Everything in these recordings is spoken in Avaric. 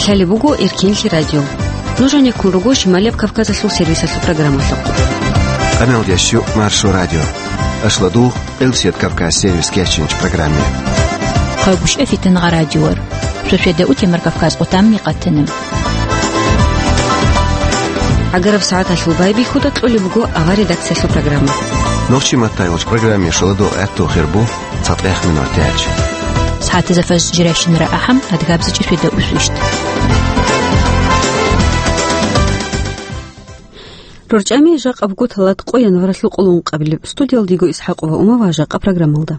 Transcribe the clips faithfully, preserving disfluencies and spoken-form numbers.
Лъалеб буго Эркенлъи радио. Нуж гьанеккун руго Шималияб Кавказалъул сервисалъул программалъухъ. Къаналда щу Маршо радио. Ашладу Элсият Кавказ сервис кечинч программе. Къагушев Фитнагъа радиор. Шошеда утемар Кавказ къутам микъатана. ГӀагараб сагӀаталъул байбихьуда кьолеб буго авар редакциялъул программа. Нохчи маттайгъуч программе шаладу гӀатту хирбу. ЦатӀех минут тяч. СагӀатазда фажр жирайщинара ахӀам, адгабзичӀи шведа усвищт. РорчӀами жакъа буго талат къо январалъул къоло ункъабилеб. Студиялдиго Исхакъова Ума ва жакъа программалда.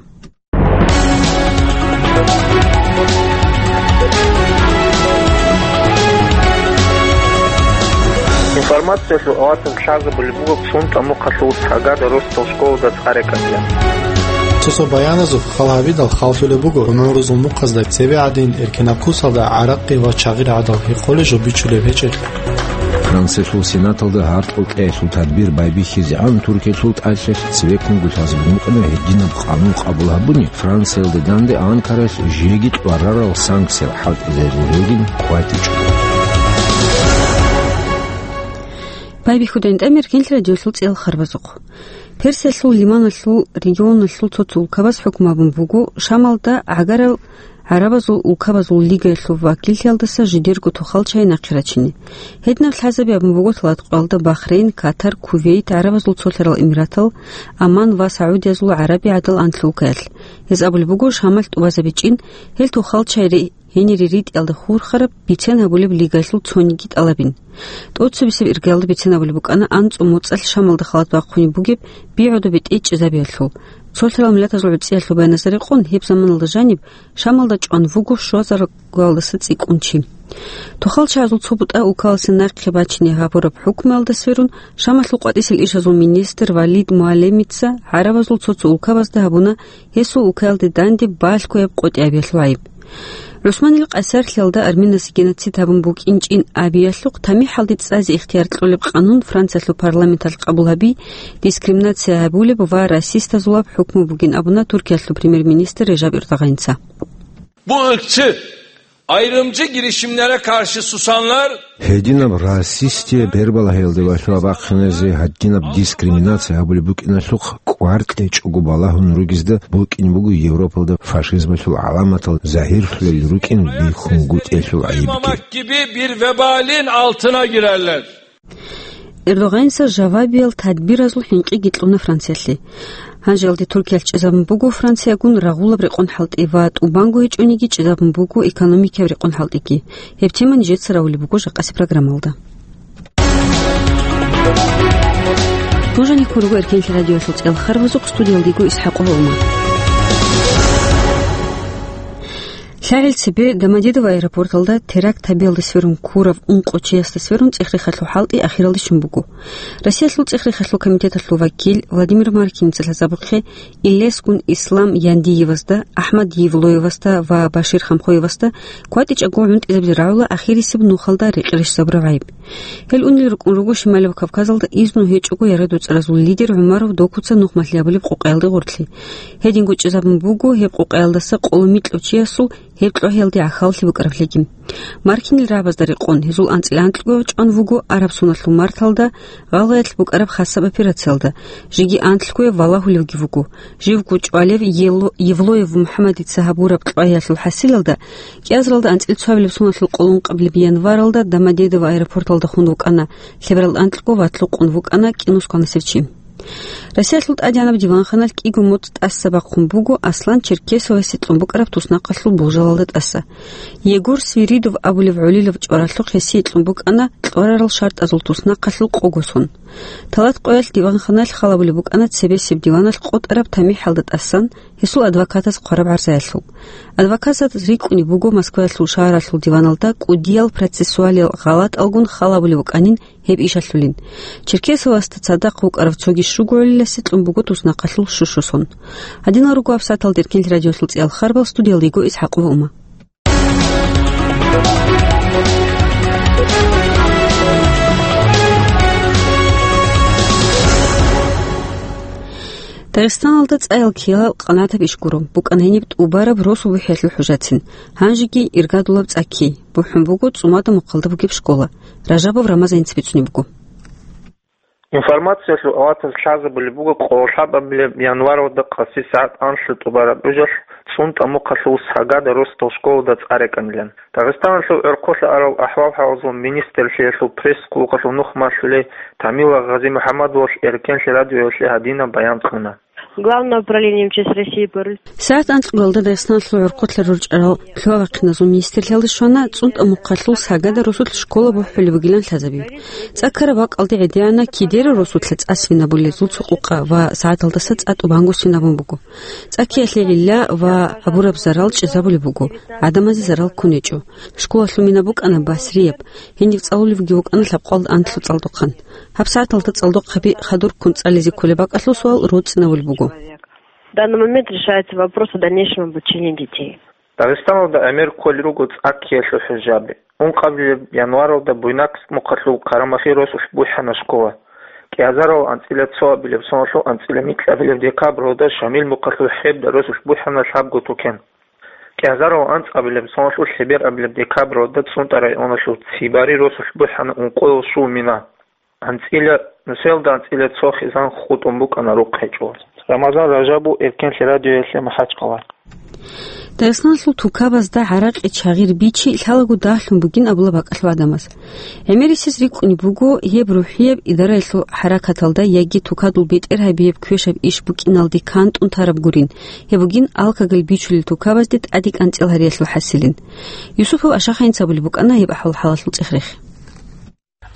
Информациялъул аватун лъазабулеб буго цун тӀамухъалъул цагада рос Толшколда цӀарекӀалъе. Цо-цо баяназухъ хал гьабидал халлъулеб буго гӀумрузул мухъазда цебе гӀадин эркенаб кусалда гӀаракъи ва чагъир гӀадал гьекъолей жо бичулеб гьечӀелъ. Франциялъул Сенаталда гьаркьул кьеялъул тадбир байбихьизегӀан Туркиялъул тӀалъалъ цевеккун гулъазабун букӀана гьединаб къанун къабул гьабуни, Франциялда данде Анкаралъ жеги кьварарал санкциял хӀалтӀизарулелгин къватичӀо. Байбихьудайин тӀамир кинлъи радиолъул цӀел харбазухъ. Персиялъул лиманалъул регионалъул цо-цо улкабаз хӀукму гьабун буго Шамалда гӀагарал гӀарабазул улкабазул лигаялъул вакиллъиялдаса жидерго тухал чай нахъе рачине. Гьединаб лъазаби гьабун буго талат къоялда Бахрейн, Катар, Кувейт, ГӀарабазул Цолъарал Эмиратал, Аман ва Саудиязул ГӀараби гӀадал анлъулкаялъ. Гьез абулеб буго Шамалъ тӀубазабичӀин, гьел тухал чай ре-, гьенире ритӀиялда хурхараб бицен гьабулеб лигаялъул цониги тӀалабин. ТӀоцебесеб иргаялда бицен гьабулеб букӀана анцӀу моцӀалъ Шамалда халат бахъунеб бугеб бигӀуда бетӀе чӀезабиялъул. Цолъарал миллатазул гӀуцӀиялъул баяназда рекъон, гьеб заманалда жаниб Шамалда чӀван вуго щуазаргоялдаса цӀикӀкӀун чи. Тухал чагӀазул цо бутӀа улкаласе нахъе бачине гьабураб хӀукмуялда сверун, Шамалъул къватӀисел ишазул министр Валид Муаллемица гӀарабазул цо-цо улкабазда гьабуна гьесул улкаялде данде балъгояб къотӀи абиялъул гӀайиб. ГӀусманил Къайсарлъиялда арминасе геноцид гьабун букӀинчӀин абиялъухъ тамихӀалде цӀазе ихтияр кьолеб къанун Франциялъул парламенталъ къабул гьаби, дискриминация гьабулеб ва расистазулаб хӀукму бугин абуна Туркиялъул премьер-министр Режаб Эрдогъанца. Bu ırkçı, ayrımcı girişimlere karşı susanlar Гьединаб расистие бербалагьиялде валъула бахъиназе гьадинаб дискриминация гьабулеб букӀиналъухъ кӀвар кьечӀого балагьун ругезда букӀин буго Европалда фашизмалъул гӀаламатал загьирлъулел рукӀин бихьунгутӀиялъул гӀайибги. Gibi bir vebalin altına girerler. Эрдогъанца жавабиял тадбиразул хӀинкъиги кьуна Франциялъе. Гьанжеялде Туркиялъ чӀезабун буго Франциягун рагъулаб рекъон хӀалтӀи ва тӀубанго гьечӀониги чӀезабун буго экономикияб рекъон хӀалтӀиги. Гьеб тема нижеца равулеб буго жакъасеб программалда. Нуж гьанеккун руго Эркенлъи радиолъул цӀел харбазухъ, студиялдего Исхакъова Ума. ЛъагӀел цебе Домодедово аэропорталда теракт гьабиялда сверун ккурав ункъо чиясда сверун цӀех-рехалъул хӀалтӀи ахиралде щун буго. Россиялъул цӀех-рехалъул комитеталъул вакил Владимир Маркиница лъазабухъе Илескун Ислам Яндиевасда, АхӀмад Евлоевасда ва Башир Хамхоевасда кватӀичӀого гӀунтӀизабизе рагӀула ахирисеб нухалда рекъерищ забураб гӀайиб. Гьел унел рукӀун руго Шималияб Кавказалда изну гьечӀого яра-дуцӀаразул лидер ГӀумаров Докуца нухмалъи гьабулеб къокъаялде гъорлъи. Гьединго чӀезабун буго гьеб къокъаялдаса къоло микьав чиясул гьеб кьогьиялде гӀахьаллъи букӀараблъиги. Маркинил рагӀабазда рекъон, гьезул анцӀила анкьго чӀван вуго араб соналъул марталда гъалгъаялъ букӀараб хасаб операциялда, жеги анлъгояб валагьулевги вуго. Живго чӀвалев Ело-, Евлоев МухӀаммадица гьабураб кьогьиялъул хӀасилалда, кӀиазаралда анцӀила цоабилеб соналъул къоло ункъабилеб январалда Домодедово аэропорталда хун вукӀана, лъеберал анкьго ватлукъун вукӀана кӀинусгъанасев чи. Россиялъул ТӀадегӀанаб диванханалъ кӀиго моцӀ тӀаса бахъун буго Аслан Черкесовасе кьун букӀараб туснахъалъул болжалалда тӀаса. Егор Свиридов абулев гӀолилав чӀваралъухъ гьесие кьун букӀана кьварарал шартӀазул туснахъалъул къого сон. Талат къоялъ диванханалъ халабулеб букӀана цебесеб диваналъ къотӀараб тамихӀалда тӀасан гьесул адвокатас хъвараб гӀарзаялъул. Адвокатас рикӀкӀунеб буго Москваялъул шагьаралъул диваналда кӀудиял процессуалиял гъалатӀалгун халабулеб букӀанин гьеб ишалъулин. Черкесовасда цадахъ вукӀарав цоги щуго гӀолиласе кьун буго туснахъалъул щущ сон. Гьадинал руго гьабсагӀаталда Эркенлъи радиолъул цӀиял харбал, студиялда йиго Исхакъова Ума. Дагъистаналда цӀаял ккеялъул къанагӀатаб иш гуро, букӀана гьениб тӀубараб росу бухӀиялъул хӀужацин, гьанжеги иргадулаб цӀа кки, бухӀун буго цӀумада мухъалда бугеб школа. Ражабов Рамазаница бицунеб буго. Информациялъул аватаз лъазабулеб буго къоло лъабабилеб январалда къаси сагӀат анлъго тӀубараб гӀужалъ ЦӀунтӀа мухъалъул Сагада росдал школада цӀа рекӀанилан. Дагъистаналъул гӀорхъолъа арал ахӀвал-хӀалалъул министрлъиялъул пресс-службаялъул нух малъулей Тамила Гъазимухьаммадовалъ Эркенлъи радиоялъе гьадинаб баян кьуна. Главное управление М Ч С России по Ру- СагӀат анлъгоялда Дагъистаналъул гӀорхъолъа рорчӀарал лъугьа-вахъиназул министрлъиялде щвана ЦӀунтӀа мухъалъул Сагада росулъ школа бухӀулеб бугилан лъазабизе. ЦӀа ккараб бакӀалде гӀедегӀанав кидерал росулъа цӀа свинабулезул цо къукъа ва сагӀаталдаса цӀа тӀубанго свинабун буго. ЦӀа ккеялъе гӀилла ва гьабураб зарал чӀезабулеб буго, гӀадамазе зарал ккун гьечӀо. Школалъул мина букӀана Басрияб, гьенив цӀалулевги вукӀана лъабкъоялда анлъго цӀалдохъан. Гьаб сагӀаталда цӀалдохъаби хадур ккун цӀализе кколеб бакӀалъул суал роцӀцӀинабулеб буго. В данный момент решается вопрос о дальнейшем обучении детей. Дагъистаналда гӀемер кколел руго цӀа ккеялъул хӀужаби. Ункъабилеб январалда Буйнакск мухъалъул Карамахи росулъ бухӀана школа. КӀиазарал анцӀила цоабилеб соналъул анцӀила микьабилеб декабралда Шамил мухъалъул ХӀебда росулъ бухӀана лъабго тукен. КӀиазарал анцӀабилеб соналъул лъеберабилеб декабралда ЦӀунтӀа районалъул Цибари росулъ бухӀана ункъоял щул мина. АнцӀила, нусиялда анцӀила цо хизан хутӀун букӀана рухъ гьечӀо. Рамазан Ражабов, Эркенлъи радиоялъе, МахӀачхъала. Дагъистаналъул тукабазда гӀаракъи чагъир бичи лъалаго дагьлъун бугин абула бакӀалъул гӀадамаз. ГӀемерисез рикӀкӀунеб буго, гьеб рухӀияб идараялъул хӀаракаталда яги тукадул бетӀергьабияб квешаб иш букӀиналде кантӀун тараб гурин, гьеб бугин алкоголь бичулел тукабазде тӀаде кӀанцӀил гьариялъул хӀасилин. Юсупов Ашахайница абулеб букӀана гьеб ахӀвал-хӀалалъул цӀех-рех.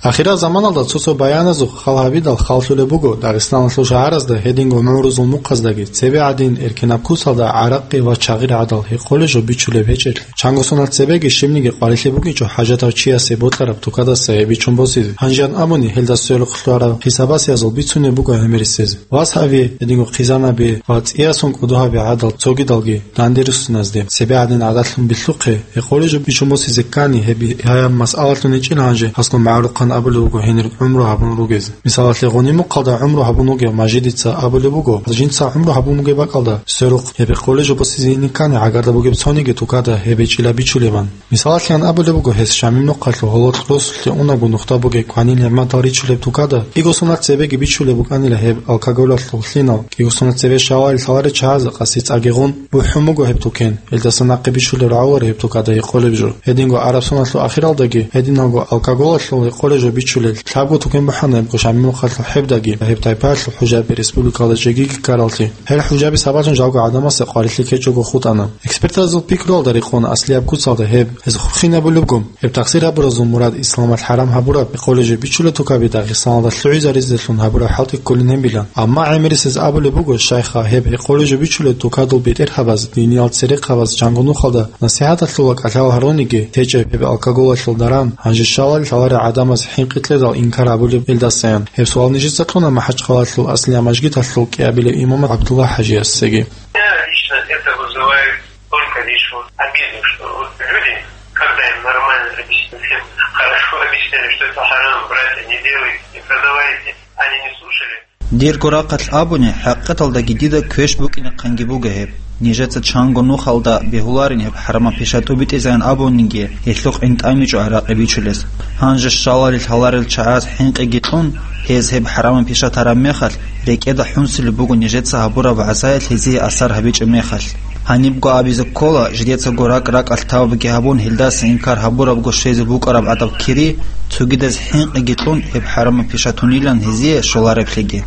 Ахирал заманалда цо-цо баяназухъ хал гьабидал халлъулеб буго Дагъистаналъул шагьаразда гьединго гӀумрузул мухъаздаги цебе гӀадин эркенаб куцалда гӀаракъи ва чагъир гӀадал гьекъолеб жо бичулеб гьечӀелъи. Чанго соналъ цебеги щибниги къварилъи букӀинчӀо хӀажатав чиясе бокьараб тукадаса гьеб бичун босизе. Гьанжеян абуни, гьелда сверухъ лъугьарал хӀисабасиязул бицунеб буго гӀемерисез. Вас гьави, гьединго хъизан гьаби ва цӀиясун кӀодо гьаби гӀадал цогидалги данде руссиназде цебе гӀадин гӀадатлъун билълъухъе, гьекъолеб жо бичун босизе ккани, гьеб гьаяб масъалалъун гьечӀила гьанже аслу магӀрухъан абулеб буго гьенир гӀумру гьабун ругез. Мисалалъе, гъуни мухъалда гӀумру гьабун вугев Мажидица абулеб буго, жинца гӀумру гьабун бугеб бакӀалда сверухъ гьеб гьекъолеб жо босизе ине ккани гӀагарда бугеб цониги тукада гьеб гьечӀила бичулебан. Мисалалъе абулеб буго, гьес Шамил мухъалъул гьололъ росулъе унебго нухда бугеб кванил нигӀматал ричулеб тукада, кӀиго соналъ цебеги бичулеб букӀанила гьеб алкоголалъул лъинал, кӀиго соналъ цебе щалалил лъаларел чагӀазе къаси цӀагигъун бухӀун буго гьеб тукен, гьелдаса нахъе бичулел рагӀуларо гьеб тукада гьекъолеб жо. Гьединго араб соналъул ахиралдаги гьединалго алкоголалъул гьекъолеб жо бичулел лъабго тукен бухӀана гьебго Шамил мухъалъул ХӀебдаги, гьеб тайпаялъул хӀужаби республикалда жеги ккараллъи. Гьел хӀужаби сабаблъун жалго гӀадамасе къварилъи ккечӀого хутӀана. Экспертазул пикруялда рекъон аслияб куцалда гьеб, гьез хурхинабулебго. Гьеб тахсир гьабуразул мурад исламалъ хӀарам гьабураб гьекъолеб жо бичулел тукаби Дагъистаналда лъугӀизаризелъун гьабураб хӀалтӀи кколин гьебилан. Амма гӀемерисез абулеб буго, щайха, гьеб гьекъолеб жо бичулел тукадул бетӀергьабаз, диниял церехъабаз, чанго нухалда насихӀаталъул ва кӀалъал гьаруниги течӀеб гьеб алкоголалъул даран, гьанже щалалил лъаларел гӀадамаз хӀинкъи кьедал инкар гьабулеб гьелдасаян. Гьеб суал нижеца кьуна МахӀачхъалалъул Аслия мажгиталъул кӀиабилев имам ГӀабдулла ХӀажиясеги. Меня лично это вызывает только лишь вот обиду, что вот люди, когда им нормально объяснили, всем хорошо объяснили, что это харам, братья, не делайте, не продавайте, они не слушали. Дирго рахъалъ абуни, хӀакъикъаталдаги дида квеш букӀинехъанги буго гьеб. Нижеца чанго нухалда бегьуларин гьеб хӀарамаб пиша тӀубитӀизаян абуниги, гьелъухъ гӀинтӀамичӀо гӀаракъи бичулес. Гьанже щалалил лъаларел чагӀаз хӀинкъиги кьун, гьез гьеб хӀарамаб пиша тараб мехалъ, рекӀеда хӀунсилеб буго нижеца гьабураб вагӀзаялъ гьезие асар гьабичӀеб мехалъ. Гьанибго абизе ккола, жидецаго ракӀ-ракӀалъ тавбуги гьабун, гьелдаса инкар гьабурабго щвезе букӀараб гӀадаб кири, цогидаз хӀинкъиги кьун, гьеб хӀарамаб пиша тунилан гьезие щолареблъиги.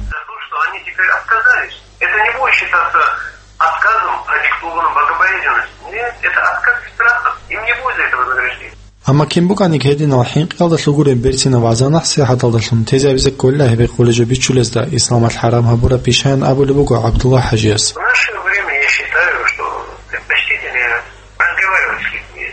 Это не будет считаться отказом, продиктованным богобоязненностью. Нет, это отказ из страха. Им не будет за это вознаграждения. Амма кин букӀаниги гьединал хӀинкъиялда лъугьунеб берцинаб вагӀза-насихӀаталдалъун тезе абизе кколила гьеб гьекъолеб жо бичулезда исламалъ хӀарам гьабураб пишаан абулеб буго ГӀабдулла ХӀажияс. В наше время я считаю, что предпочтительнее разговаривать с людьми.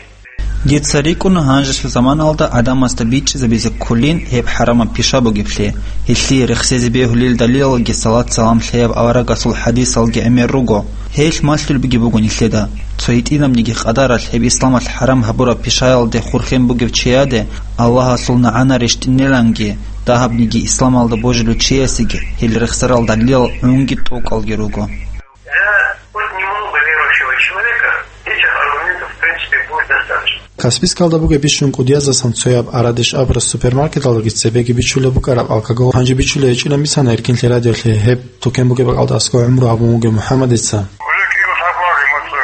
Дица рикӀкӀуна гьанжелъул заманалда гӀадамазда бичӀчӀизабизе кколин гьеб хӀарамаб пиша бугеблъи. Гьелъие рехсезе бегьулел далилалги салат-салам лъеяб аварагасул хӀадисалги гӀемер руго. Гьелъ малъулебги буго нилъеда. Цо гьитӀинабниги къадаралъ гьеб исламалъ хӀарам гьабураб пишаялде хурхен бугев чияде Аллагьасул нагӀана рещтӀиниланги, Дагьабниги исламалда божулев чиясеги гьел рехсарал далилал гӀунги тӀокӀалги руго. Да, хоть немного верующего человека этих аргументов, в принципе, будет достаточно. Каспийскалда бугеб бищун кӀудияздасан цояб арадеш абураб супермаркеталдаги цебеги бичулеб букӀараб алкогол гьанже бичулей гьечӀилан бицана Эркинлъи радиолъе гьеб тукен бугеб бакӀалда аскӀов гӀумру гьабун вугев МухӀаммадица. Уже кӀиго сахлъаги мус, э,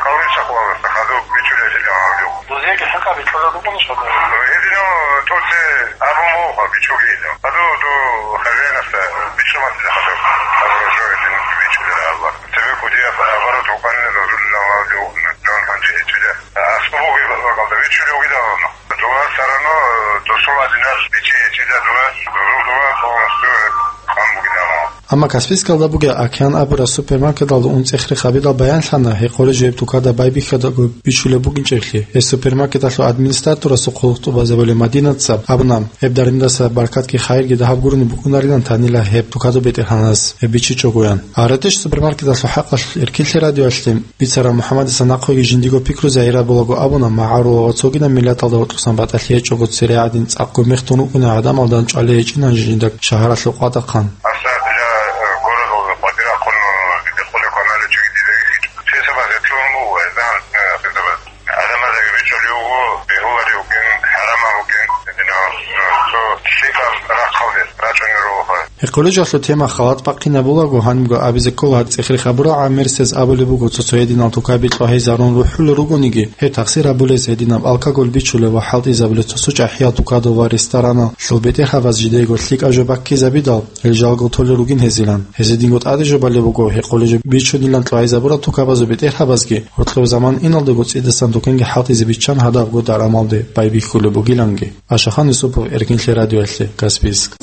калин сахлъаласа хадуб бичулей гьечӀилан гьавдев. Дузеги хӀинкъа бичулеб букӀунищ гьаб? Гьединав тӀоце абун буго бичуги гьединав. Хадуб ду хозяинасда бичӀчӀуларо хадуб. Абураб жо гьедин бичулей гьаб. Цебе кӀудияб оборот букӀанила дозулилан гьавдев, дун гьанже гьечӀила. АскӀов бугеб бакӀалда бичулев вугилан. Дова все равно, э, досул гьадинал бичи гьечӀила дова, дозул дова полностью хъван бугилан. Амма Каспийскалда бугеб Океан абураб супермаркеталда унцӀихърихъ гьабидал баянлъана, гьекъолеб жо гьеб тукада байбихьидаго бичулеб букӀинчӀеблъи. Гьеб супермаркеталъул администраторасул хъулухъ тӀубазабулев Мадинаца абуна, гьеб дармидаса баркатги хайирги дагьаб гурони букӀунарилан танила гьеб тукадул бетӀергьанас гьеб бичичӀогоян. Арадеш супермаркеталъул хӀакъалъулъ Эркинлъи радиоялъе бицарав МухӀаммадица нахъеги жиндиего пикру загьир гьабулаго абуна, магӀарулал ва цогидаб миллаталда гьоркьосан батӀалъи гьечӀого цере гӀадин цӀакъго мех тун вукӀуней гӀадамал данчӀвалей гьечӀин гьанже жинда шагьаралъул къватӀахъан. Аса дила, э, городалда квартира хъуна, дида хъулеб кваналев чиги дида вихьичӀо. Хисабаз гьеб лъугьун буго, гьезда, э, хисабаз. ГӀадамаздаги бичӀчӀулев вуго, бегьуларев вукӀин, хӀарамал вукӀин, гьединав, э, цо лъикӀаб рахъалде рачӀунел руго. Гьекъолеб жоялъул тема халат бахъинабулаго, гьанибго абизе ккола, цӀехрихъ гьабурал гӀемерисез абулеб буго, цо-цо гьединал тукаби кьвагьизарун рухӀулел ругониги, гьеб тахсир гьабулез гьединаб алкоголь бичулев ва хӀалтӀизабулез цо-цо чӀахӀиял тукадал ва ресторанал бетӀергьабаз жидеего лъикӀаб жо баккизабидал, гьел жалго толел ругин гьезилан. Гьезие динго тӀаде жо балеб буго, гьекъолеб жо бичунилан кьвагьизабурал тукабазул бетӀергьабазги, гьоркьоб заман иналдаго цӀидасан тукенги хӀалтӀизе биччан гьадабго дарамалде байбихьулеб бугиланги. Ашахан Юсупов, Эркинлъи радиоялъе, Каспийск.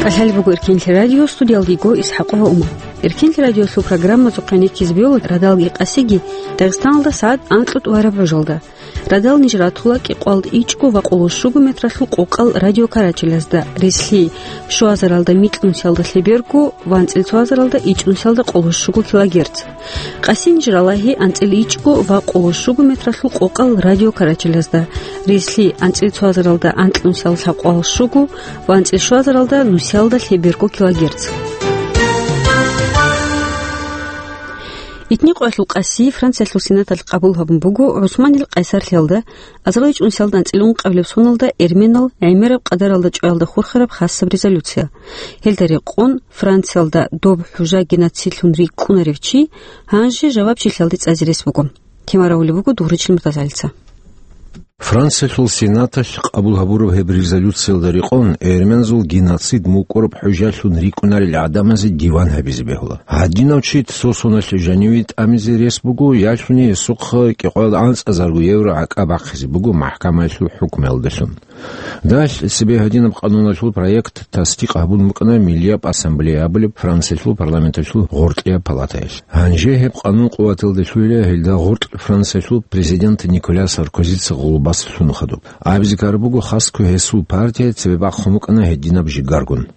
КӀалъалеб буго Эркинлъи радио, студиялда йиго ИсхӀакъова Умар. Эркинлъи радиоялъул программазухъе нихьизе бегьула радалги къасиги Дагъистаналда сагӀат анкьго тӀубараб гӀужалда. Радал ниж ратула кӀикъоялда ичӀго ва къоло щуго метралъул къокъал радиокарачелазда, рес-, лъи, щуазаралда микьнусиялда лъеберго ва анцӀила цоазаралда ичӀнусиялда къоло щуго килогерц. Къасин жралагьи анцӀила ичӀго ва къоло щуго метралъул къокъал радиокарачелазда, рес-, лъи, анцӀила цоазаралда анкьнусиялда лъабкъоялда щуго ва анцӀила щуазаралда нусиялда лъеберго килогерц. Итни къоялъул къаси Франциялъул Сенаталъ къабул гьабун буго ГӀусманил къайсарлъиялда, азарилчӀунсиялда анцӀила ункъабилеб соналда эрменал гӀемераб къадаралда чӀваялда хурхараб хасаб резолюция. Гьелда рекъон Франциялда доб хӀужа геноцидлъун рикӀкӀунарев чи гьанже жавабчилъиялде цӀазе рес буго. Тема рагьулеб буго Дугъричил МуртазагӀилица. Франциялъул Сенаталъ къабул гьабураб гьеб резолюциялда рекъон, эрмензул геноцид мукӀураб хӀужалъун рикӀкӀунарел гӀадамазе диван гьабизе бегьула. Гьадинав чи цо соналъ жаниве тӀамизе рес буго, ялъуни гьесухъа кӀикъоялда анцӀазарго евро гӀакӀа бахъизе буго махӀкамаялъул хӀукмуялдалъун. Далъ цебе гьадинаб къануналъул проект тасдикъ гьабун букӀана Миллияб ассамблея абулеб Франциялъул парламенталъул гъоркьияб палатаялъ. Гьанже гьеб къанун къуваталде лъугьила, гьелда гъоркь Франциялъул президент Николя Саркозица гъулбас лъун хадуб. Абизе ккараб буго, хасго гьесул партия цебе бахъун букӀана гьединаб жигаргун.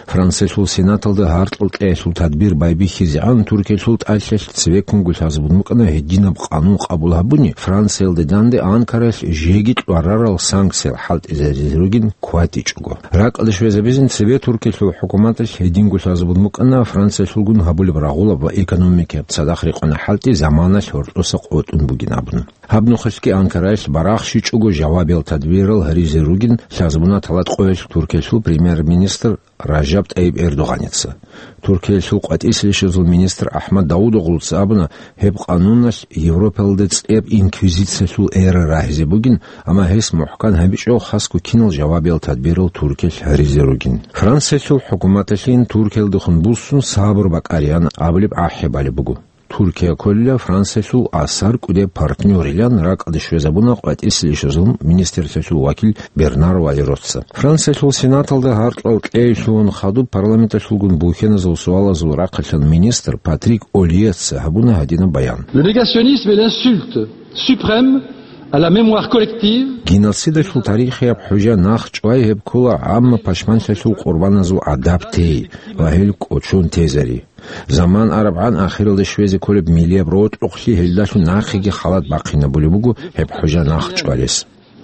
Франциялъул Сенаталда гьаркьал кьеялъул тадбир байбихьизегӀан Туркиялъул тӀалъалъ цевеккунго лъазабун букӀана гьединаб къанун къабул гьабуни, Франциялде данде Анкаралъ жеги кьварарал санкциял хӀалтӀизаризе ругин кватӀичӀого. РакӀалде щвезабизин цебе Туркиялъул хӀукуматалъ гьединго лъазабун букӀана Франциялъулгун гьабулеб рагъулаб ва экономикаяб цадахъ рекъона хӀалтӀи заманалъ гьоркьоса къотӀун бугин абун. Гьаб нухалъги Анкаралъ барахщичӀого жавабиял тадбирал гьаризе ругин лъазабуна тӀалаб къоялъ Туркиялъул премьер-министр Ражаб ТӀайиб Эрдогъаница. Туркиялъул къватӀислъищазул министр АхӀмад Давудоглуца абуна, гьеб къануналъ Европалда цӀияб инквизициялъул эра рагьизе бугин, амма гьес мухӀкан гьабичӀого хасго кинал жавабиял тадбирал Туркиялъ гьаризе ругин. Франциялъул хӀукуматалъин Туркиялдехун буссун сабур бакӀариян абулеб гӀахӀи балеб буго. Туркия кколила Франциялъул асар кӀудияб партнёрилан ракӀалде щвезабуна къватӀислъищазул министрлъиялъул вакил Бернар Валероца. Франциялъул Сенаталда гьаркьал кьей лъугьун хадуб парламенталъулгун бухьеназул суалазул рахъалъан министр Патрик Ольеца гьабуна гьадинаб баян. Le négationnisme est l'insulte suprême À la mémoire collective. Геноцидалъул тарихияб хӀужа нахчӀвай гьеб ккола гӀамма пашманлъиялъул къурбаназул гӀадаб тей ва гьел кӀочон тезари. Заман арабгӀан ахиралде щвезе кколеб миллияб рокьухълъи гьелдалъун нахъеги халат бахъинабулеб буго гьеб хӀужа нахчӀвалес.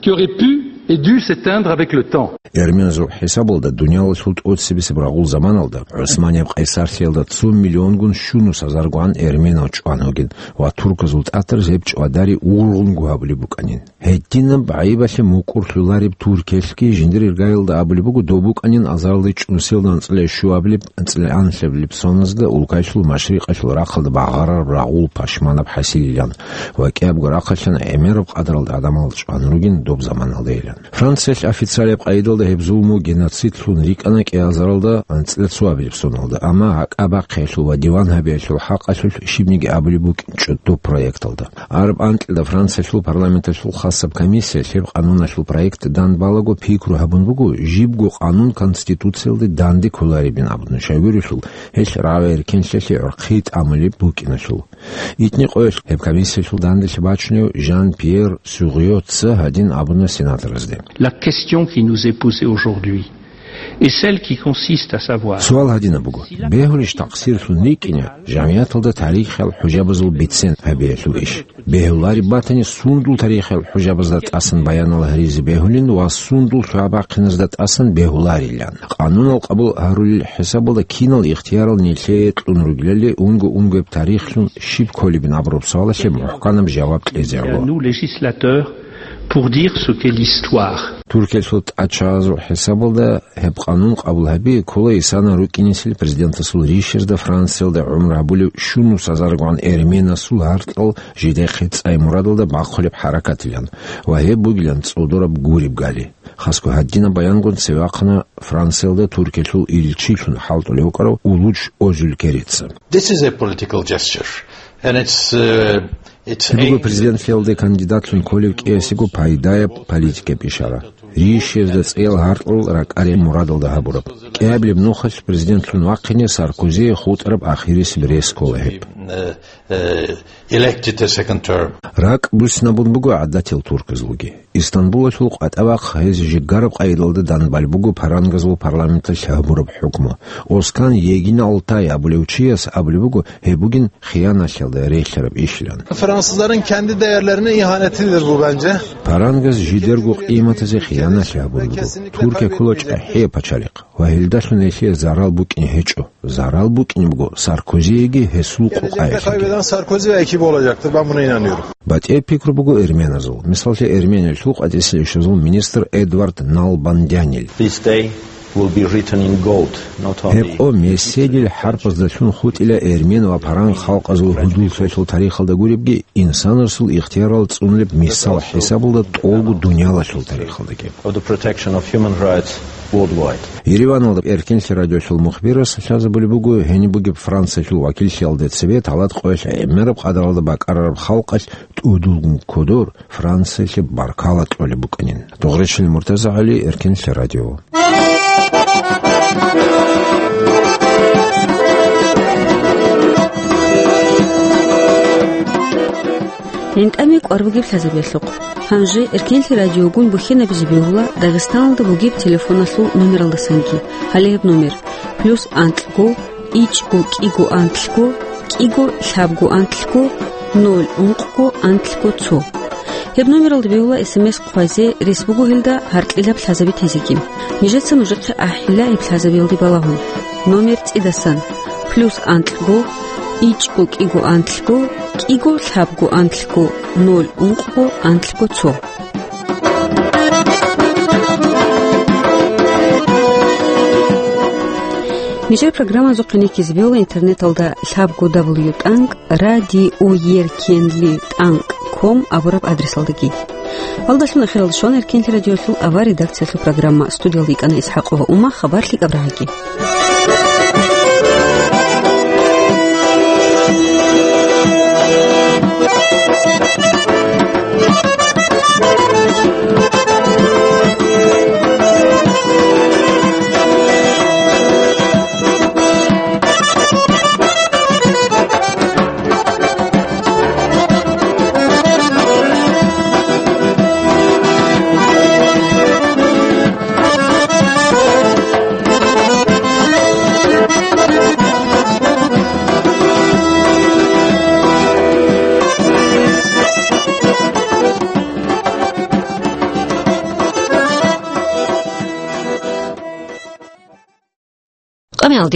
Qui aurait pu et dû s'éteindre avec le temps. Эрменазул хӀисабалда, дуниялалъул тӀоцебесеб рагъул заманалда, ГӀусманияб къайсарлъиялда цо миллионгун щунус азаргун эрменал чӀван вугин ва турказул тӀатараз гьеб чӀвадари ургъунго гьабулеб букӀанин. Гьединаб гӀайибалъе мукӀурлъулареб Туркиялъги жиндир иргаялда абулеб буго, доб букӀанин азаралде чӀунсиялда анцӀила щуабилеб, анцӀила анлъабилеб соназда улкаялъул машрикъалъул рахъалда багъарараб рагъул пашманаб хӀасилилан ва кӀиябго рахъалъан гӀемераб къадаралда гӀадамал чӀван ругин доб заманалдайилан. Франциялъ официалияб къайдалда гьеб зулму геноцидлъун рикӀкӀана кӀиазаралда анцӀила цоабилеб соналда, амма гьакӀа бахъиялъул ва диван гьабиялъул хӀакъалъулъ щибниги абулеб букӀинчӀо доб проекталда. Араб анкьида Франциялъул парламенталъул хасаб комиссия гьеб къануналъул проект дандбалаго пикру гьабун буго, жибго къанун Конституциялде данде кколаребин абун, щайгурелъул гьелъ рагӀи-эркенлъиялъе гӀорхъи тӀамулеб букӀиналъул. Итни къоялъ гьеб комиссиялъул данделъи бачунев Жан-Пьер Сюгъёца гьадин абуна сенаторазде: La question qui nous est posée aujourd'hui est celle qui consiste à savoir. Суал гьадинаб буго: бегьулищ такъсирлъун рикӀкӀине жамгӀияталда тарихиял хӀужабазул бицен гьабиялъул иш? Бегьулареб батани, сундул тарихиял хӀужабазда тӀасан баянал гьаризе бегьулин ва сундул лъугӀа-бахъиназда тӀасан бегьуларилан? Къанунал къабул гьарулел хӀисабалда кинал ихтиярал нилъее кьун ругелали, унго-унгояб тарихлъун щиб кколебин абураб суалалъе мухӀканаб жаваб кьезе гӀоло. Nous, législateurs, pour dire ce qu'est l'histoire. Туркиялъул тӀачагӀазул хӀисабалда гьеб къанун къабул гьаби ккола исана рукӀинесел президентасул ришерда Франциялда гӀумру гьабулев щунус азаргун эрменасул гьаркьал жидехъе цӀай мурадалда бахъулеб хӀаракатилан ва гьеб бугилан цӀодораб гуреб гали. Хасго гьадинаб баянгун цеве вахъана Франциялда Туркиялъул илчилъун хӀалтӀулев вукӀарав Улуч Озюлкерица. This is a political gesture, and it's, uh, it's Гьеб буго aimed президентлъиялде кандидатлъун кколев кӀиясего пайдаяб политикаб ишара. Ришерда цӀеял гьаркьал ракӀараб мурадалда гьабураб. КӀиабилеб нухалъ президентлъун вахъине Саркозие хутӀараб ахирисеб рес ккола гьеб. Uh, uh, elected a second term. РакӀ буссинабун буго гӀадатиял турказулги. Истанбулалъул къватӀа вахъ гьез жигараб къайдалда данбал буго парангазул парламенталъ гьабураб хӀукму. Оскан Егин Алтай абулев чияс абулеб буго, гьеб бугин хияналъиялда релълъараб ишилан. Fransızların kendi değerlerine ihanetidir bu bence. Парангаз жидерго къиматазе хияналъи гьабураб буго. Туркия ккола чӀахӀиял пачалихъ ва гьелдалъун гьелъие зарал букӀине гьечӀо. Зарал букӀине буго Саркозиеги гьесул къукъаялъеги. Kaybeden Sarkozy ve ekibi olacaktır. Ben buna inanıyorum. БатӀияб пикру буго эрменазул. Мисаллъе, Эрмениялъул къватӀиса ишазул министр Эдвард Налбандянил. This day will be written in gold, not only Гьеб къо меседил хӀарпаздалъун хутӀила эрмен ва паран халкъазул гьудуллъиялъул тарихалда гуребги, инсанасул ихтиярал цӀунулеб мисал хӀисабалда тӀолго дуниялалъул тарихалдаги. Of the protection of human rights worldwide. Ереваналда Эркенлъи радиолъул мухбирас лъазабулеб буго гьениб бугеб Франциялъул вакиллъиялда цебе талат къоялъ гӀемераб къадаралда бакӀарараб халкъалъ тӀудулгун кодор Франциялъе баркала кьолеб букӀанин. Дугъречил Муртаза ГӀали, Эркенлъи радио. ГӀинтӀаме кӀвар бугеб лъазабиялъухъ. Гьанже Эркенлъи радиогун бухьенабизе бегьула Дагъистаналда бугеб телефоналъул номералдасанги. Гьале гьеб номер: плюс анкьго, ичӀго кӀиго анкьго, кӀиго лъабго анкьго, ноль ункъго анкьго цо. Гьеб номералда бегьула эс эм эс хъвазе, рес буго гьелда гьаркьилаб лъазаби тезеги. Нижеца нужехъе ахӀила гьеб лъазабиялде балагьун. Номер цӀидасан: плюс анкьго, ичӀго кӀиго анкьго, кӀиго лъабго анкьго, ноль ункъго анкьго цо. Нижер программазухъе никизе бегьула интернеталда лъабго дабл ю тӀанкӀ радиоеркенли тӀанкӀ ком абураб адресалдаги. Гьалдалъун эхиралда щвана Эркенлъи радиолъул авар редакциялъул программа. Студиялда йикӀана ИсхӀакъова Ума. Хабар лъикӀаб рагӀаги.